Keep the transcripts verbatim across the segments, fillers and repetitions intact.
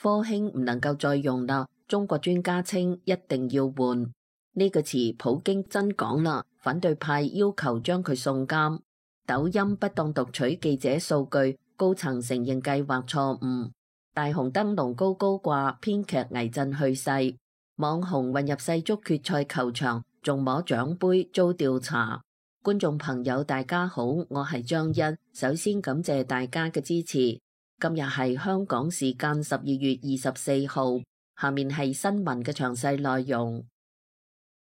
科興唔能夠再用啦，中國專家稱一定要換。呢個詞普京真講啦，反對派要求將佢送監。抖音不當讀取記者數據，高層承認計劃錯誤。大紅燈籠高高掛，編劇倪震去世。網紅混入世足決賽球場，仲摸獎杯遭調查。觀眾朋友大家好，我係張欣，首先感謝大家嘅支持。今日係香港時間十二月二十四號，下面係新聞嘅詳細內容。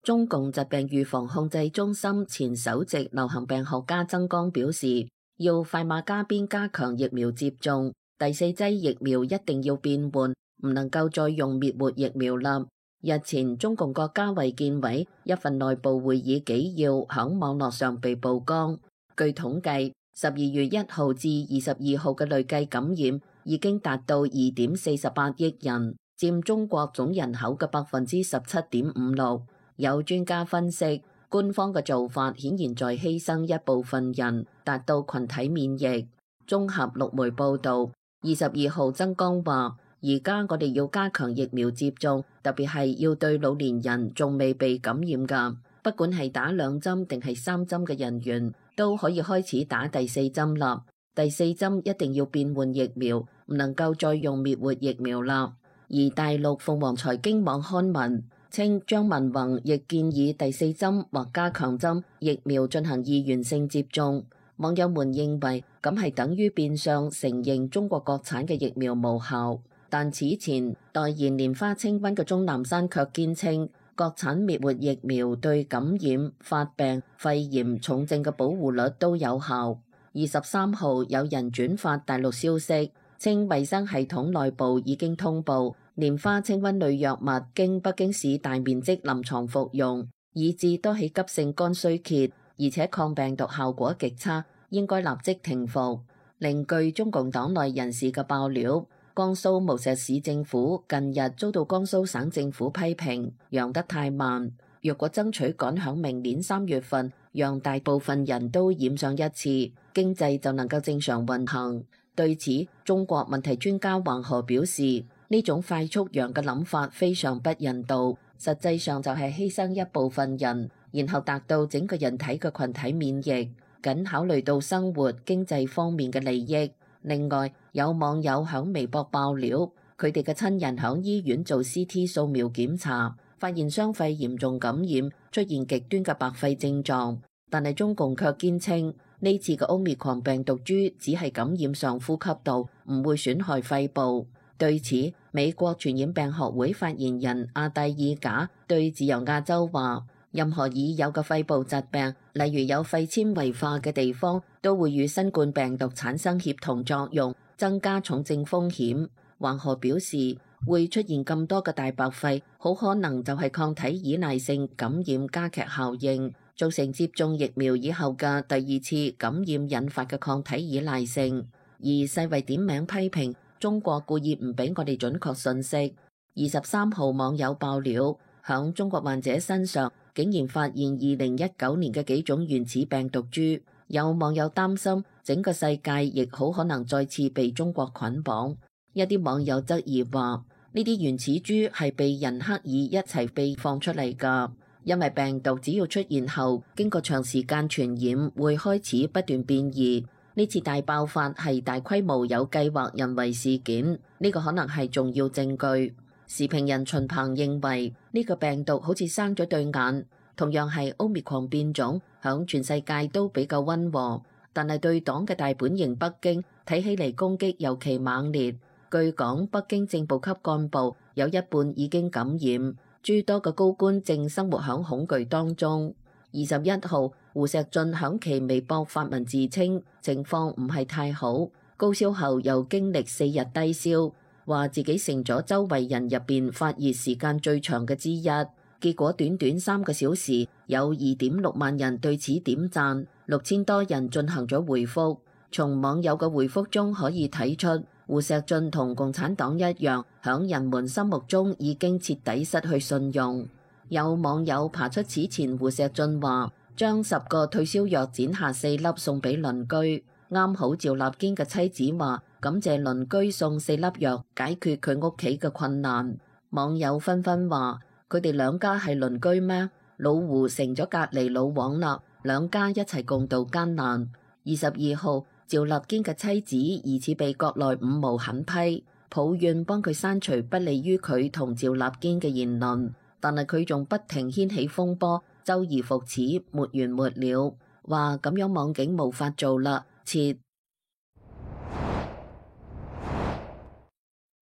中共疾病預防控制中心前首席流行病學家曾江表示，要快馬加鞭加強疫苗接種，第四劑疫苗一定要變換，唔能夠再用滅活疫苗啦。日前，中共國家衛健委一份內部會議紀要響網絡上被曝光。據統計，十二月一號至二十二號嘅累計感染已經達到二點四十八億人，佔中國總人口嘅百分之十七點五六。有專家分析，官方嘅做法顯然在犧牲一部分人，達到群體免疫。綜合陸媒報導，二十二號曾江話：而家我哋要加強疫苗接種，特別係要對老年人仲未被感染㗎，不管係打兩針定係三針嘅人員，都可以開始打第四針啦。第四針一定要變換疫苗，唔能夠再用滅活疫苗啦。而大陸鳳凰財經網刊文稱，張文宏亦建議第四針或加強針疫苗進行二元性接種。網友們認為咁係等於變相承認中國國產嘅疫苗無效。但此前代言蓮花清瘟嘅鍾南山卻堅稱，國產滅活疫苗對感染、發病、肺炎、重症嘅保護率都有效。二十三號有人轉發大陸消息，稱衛生系統內部已經通報，蓮花清瘟類藥物經北京市大面積臨床服用，以致多起急性肝衰竭，而且抗病毒效果極差，應該立即停服。另據中共黨內人士嘅爆料，江蘇無錫市政府近日遭到江蘇省政府批評，陽得太慢。若果爭取趕響明年三月份，讓大部分人都染上一次，經濟就能夠正常運行。對此，中國問題專家黃河表示，呢種快速陽嘅諗法非常不人道，實際上就係犧牲一部分人，然後達到整個人體嘅群體免疫，僅考慮到生活經濟方面嘅利益。另外，有網友響微博爆料，佢哋嘅親人響醫院做 C T 掃描檢查，發現雙肺嚴重感染，出現極端嘅白肺症狀。但係中共卻堅稱呢次嘅 Omicron 病毒株只係感染上呼吸道，唔會損害肺部。對此，美國傳染病學會發言人阿蒂爾賈對自由亞洲話：任何已有嘅肺部疾病，例如有肺纖維化嘅地方，都會與新冠病毒產生協同作用，增加重症風險。黃河表示，會出現咁多嘅大白肺，好可能就係抗體依賴性感染加劇效應，造成接種疫苗以後嘅第二次感染引發嘅抗體依賴性。而世衛點名批評中國故意唔俾我哋準確信息。二十三號網友爆料，響中國患者身上竟然發現二零一九年嘅幾種原始病毒株，有網友擔心整個世界亦好可能再次被中國捆綁。一啲網友質疑話，呢啲原始株係被人刻意一齊被放出嚟㗎，因為病毒只要出現後，經過長時間傳染，會開始不斷變異。呢次大爆發係大規模有計劃人為事件，呢個可能係重要證據。時評人秦鵬認為，呢個病毒好似生咗對眼，同樣係 Omicron 變種，響全世界都比較溫和，但係對黨嘅大本營北京睇起嚟攻擊尤其猛烈。據講，北京正部級幹部有一半已經感染，諸多嘅高官正生活響恐懼當中。二十一號，胡錫進響其微博發文自稱情況唔係太好，高燒後又經歷四日低燒，話自己成咗周圍人入邊發熱時間最長嘅之一。結果短短三個小時，有二點六萬人對此點讚，六千多人進行咗回覆。從網友嘅回覆中可以睇出，胡錫進同共產黨一樣，響人們心目中已經徹底失去信用。有網友爬出此前胡錫進話將十個退燒藥剪下四粒送俾鄰居，啱好趙立堅嘅妻子話感謝鄰居送四粒藥解決佢屋企嘅困難。網友紛紛話：佢哋兩家係鄰居咩？老胡成咗隔離老王啦，兩家一齊共度艱難。二十二號，趙立堅嘅妻子疑似被國內五毛狠批，抱怨幫佢刪除不利於佢同趙立堅嘅言論，但係佢仲不停掀起風波，周而復始，沒完沒了。話咁樣網警無法做啦，撤。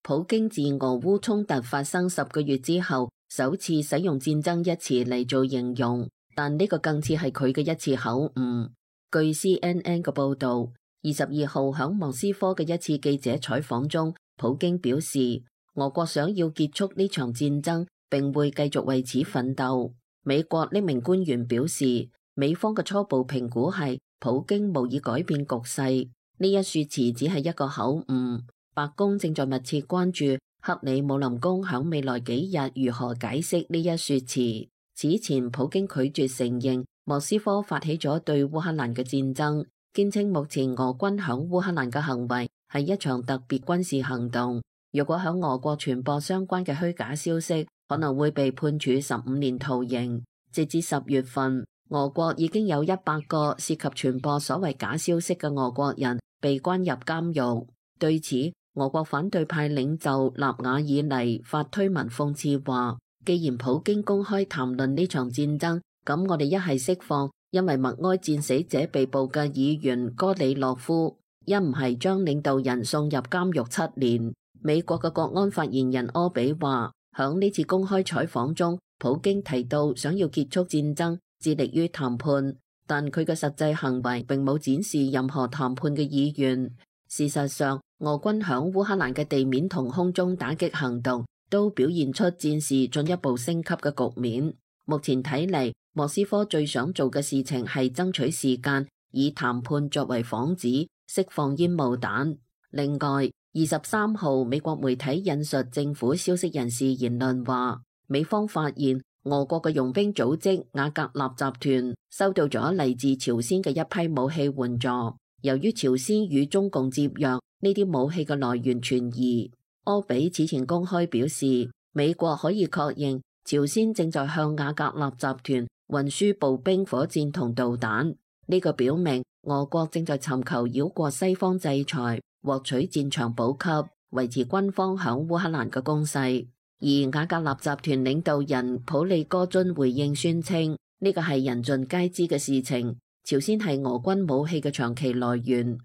普京自俄烏衝突發生十個月之後，首次使用戰爭一詞嚟做形容，但呢個更似係佢嘅一次口誤。據 C N N 嘅報導，二十二號響莫斯科嘅一次記者採訪中，普京表示俄國想要結束呢場戰爭，並會繼續為此奮鬥。美國呢名官員表示，美方嘅初步評估係普京無意改變局勢，呢一說辭只係一個口誤。白宮正在密切關注克里姆林宮響未來幾日如何解釋呢一說辭。此前，普京拒絕承認莫斯科發起咗對烏克蘭嘅戰爭，堅稱目前俄軍響烏克蘭嘅行為係一場特別軍事行動。如果響俄國傳播相關嘅虛假消息，可能會被判處十五年徒刑。截至十月份，俄國已經有一百個涉及傳播所謂假消息嘅俄國人被關入監獄。對此，俄國反對派領袖納瓦爾尼發推文諷刺話：既然普京公開談論呢場戰爭，咁我哋一係釋放因為默哀戰死者被捕嘅議員戈里洛夫，一唔係將領導人送入監獄七年。美國嘅國安發言人柯比話：響呢次公開採訪中，普京提到想要結束戰爭，致力於談判，但佢嘅實際行為並冇展示任何談判嘅意願。事實上，俄軍響烏克蘭嘅地面同空中打擊行動都表現出戰事進一步升級嘅局面。目前睇嚟，莫斯科最想做嘅事情係爭取時間，以談判作為幌子，釋放煙霧彈。另外，二十三號美國媒體引述政府消息人士言論話，美方發現俄國嘅傭兵組織瓦格納集團收到咗嚟自朝鮮嘅一批武器援助。由於朝鮮與中共接壤，呢啲武器嘅來源存疑。柯比此前公開表示，美國可以確認朝鮮正在向瓦格納集團運輸步兵火箭同導彈。呢個表明俄國正在尋求繞過西方制裁，獲取戰場補給，維持軍方響烏克蘭嘅攻勢。而瓦格納集團領導人普利戈津回應宣稱，呢個係人盡皆知嘅事情。朝鮮係俄軍武器嘅長期來源。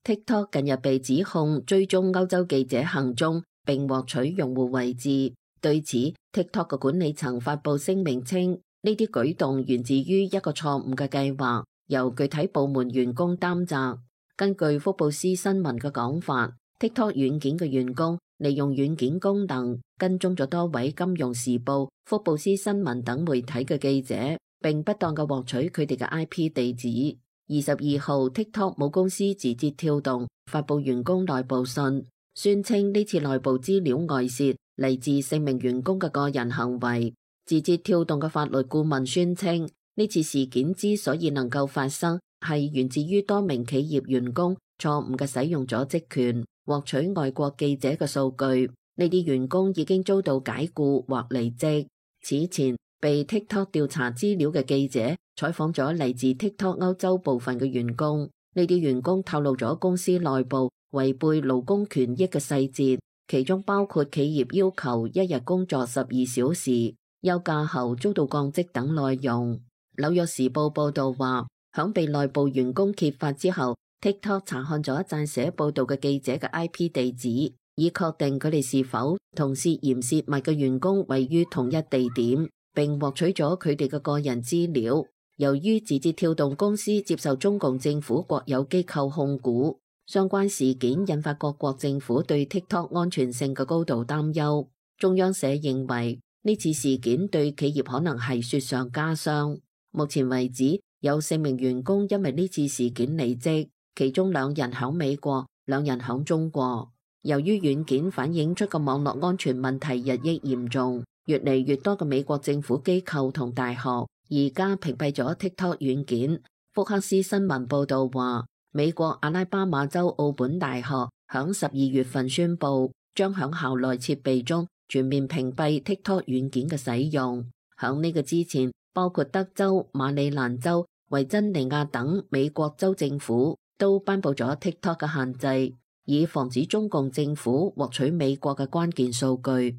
TikTok 近日被指控追蹤歐洲記者行蹤，並獲取用戶位置。對此 ，TikTok 嘅管理層發布聲明稱，呢啲舉動源自於一個錯誤嘅計劃，由具體部門員工擔責。根據福布斯新聞嘅講法，TikTok 軟件嘅員工利用軟件功能跟蹤咗多位金融時報、福布斯新聞等媒體嘅記者，並不當嘅獲取佢哋嘅 I P 地址。二十二號 TikTok 母公司字節跳動發布員工內部信，宣稱呢次內部資料外泄嚟自四名員工嘅個人行為。字節跳動嘅法律顧問宣稱，呢次事件之所以能夠發生，係源自於多名企業員工錯誤嘅使用咗職權，獲取外國記者嘅數據。呢啲員工已經遭到解僱或離職。此前被 TikTok 調查資料嘅記者採訪咗嚟自 TikTok 歐洲部分嘅員工，呢啲員工透露咗公司內部違背勞工權益嘅細節，其中包括企業要求一日工作十二小時、休假後遭到降職等內容。紐約時報報道話，響被內部員工揭發之後，TikTok 查看咗撰寫報道嘅記者嘅 I P 地址，以確定佢哋是否同涉嫌洩密嘅員工位於同一地點，並獲取咗佢哋嘅個人資料。由於字節跳動公司接受中共政府國有機構控股，相關事件引發各國政府對 TikTok 安全性嘅高度擔憂。中央社認為呢次事件對企業可能係雪上加霜。目前為止，有四名員工因為呢次事件離職，其中兩人響美國，兩人響中國。由於軟件反映出嘅網絡安全問題日益嚴重，越嚟越多嘅美國政府機構同大學而家屏蔽咗 TikTok 軟件，福克斯新聞報導話，美國阿拉巴馬州奧本大學響十二月份宣布，將響校內設備中全面屏蔽 TikTok 軟件嘅使用。響呢個之前，包括德州、馬里蘭州、維珍尼亞等美國州政府都頒布咗 TikTok 嘅限制，以防止中共政府獲取美國嘅關鍵數據。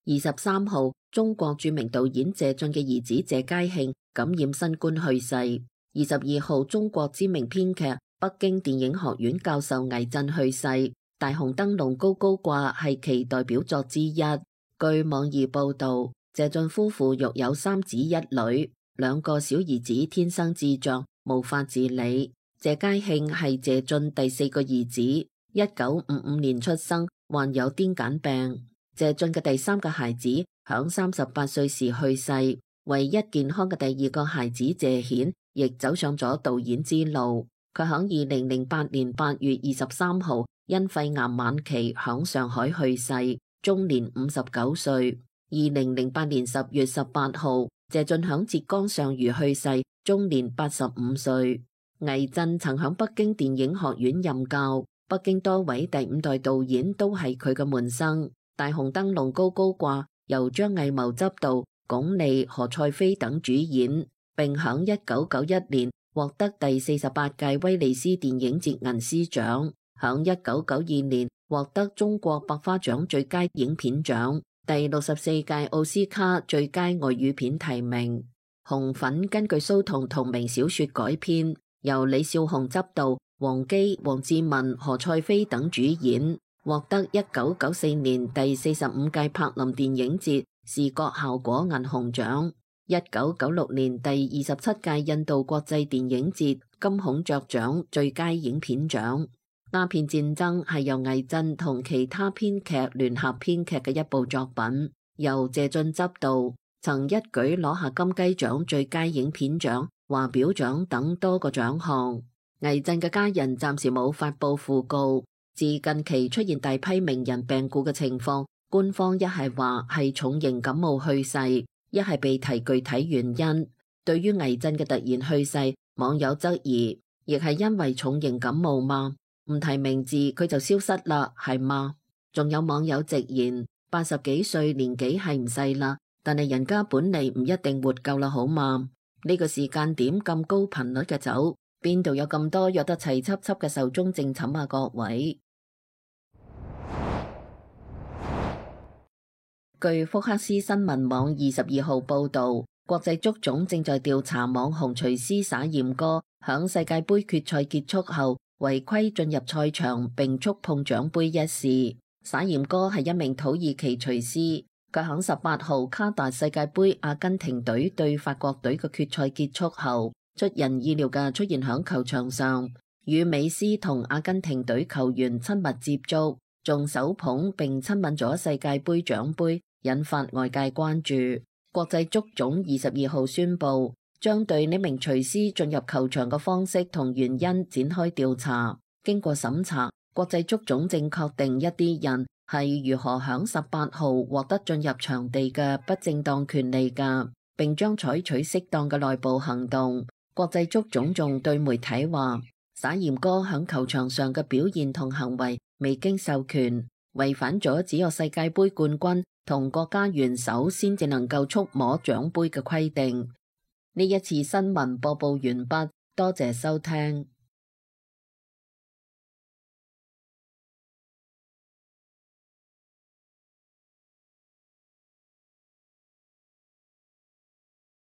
二十三號，中國著名導演謝晉嘅兒子謝佳慶感染新冠去世。二十二號，中國知名編劇、北京電影學院教授倪震去世。大紅燈籠高高掛係其代表作之一。據網易報道，謝晉夫婦育有三子一女，兩個小兒子天生智障，無法自理。謝佳慶係謝晉第四個兒子，一九五五年出生，患有癲癇病。謝晉嘅第三個孩子響三十八歲時去世，唯一健康嘅第二個孩子謝顯亦走上咗導演之路。佢響二零零八年八月二十三號因肺癌晚期響上海去世，終年五十九歲。二零零八年十月十八號，謝晉響浙江上虞去世，終年八十五歲。倪震曾響北京電影學院任教，北京多位第五代導演都係佢嘅門生。大紅燈籠高高掛由張藝謀執導，鞏俐、何賽飛等主演，並響一九九一年獲得第四十八屆威尼斯電影節銀獅獎，響一九九二年獲得中國百花獎最佳影片獎，第六十四屆奧斯卡最佳外語片提名。紅粉根據蘇童同名小說改編，由李少紅執導，王姬、黃智雯、何賽飛等主演，獲得一九九四年第四十五屆柏林電影節視覺效果銀熊獎，一九九六年第二十七屆印度國際電影節金孔雀獎最佳影片獎。鴉片戰爭係由倪震同其他編劇聯合編劇嘅一部作品，由謝晉執導，曾一舉攞下金雞獎最佳影片獎、華表獎等多個獎項。倪震嘅家人暫時冇發佈訃告。自近期出現大批名人病故嘅情況，官方一係話係重型感冒去世，一係被提具體原因。對於倪震嘅突然去世，網友質疑，亦係因為重型感冒嗎？唔提名字佢就消失啦，係嗎？仲有網友直言，八十幾歲年紀係唔細啦，但係人家本嚟唔一定活夠啦，好嘛？呢個時間點咁高頻率嘅走，邊度有咁多約得齊輯輯嘅壽終正寢啊？各位。據福克斯新聞網二十二號報道，國際足總正在調查網紅廚師撒鹽哥響世界盃決賽結束後違規進入賽場並觸碰獎杯一事。撒鹽哥係一名土耳其廚師，佢響十八號卡達世界盃阿根廷隊對法國隊嘅決賽結束後，出人意料嘅出現響球場上，與美斯同阿根廷隊球員親密接觸，仲手捧並親吻咗世界盃獎杯，引發外界關注。國際足總二十二號宣布，將對呢名廚師進入球場嘅方式同原因展開調查。經過審查，國際足總正確定一啲人係如何響十八號獲得進入場地嘅不正當權利㗎，並將採取適當嘅內部行動。國際足總仲對媒體話，撒鹽哥響球場上嘅表現同行為未經授權，違反咗只有世界盃冠軍同國家元首先至能夠觸摸獎杯嘅規定。呢一次新聞播報完畢，多謝收聽。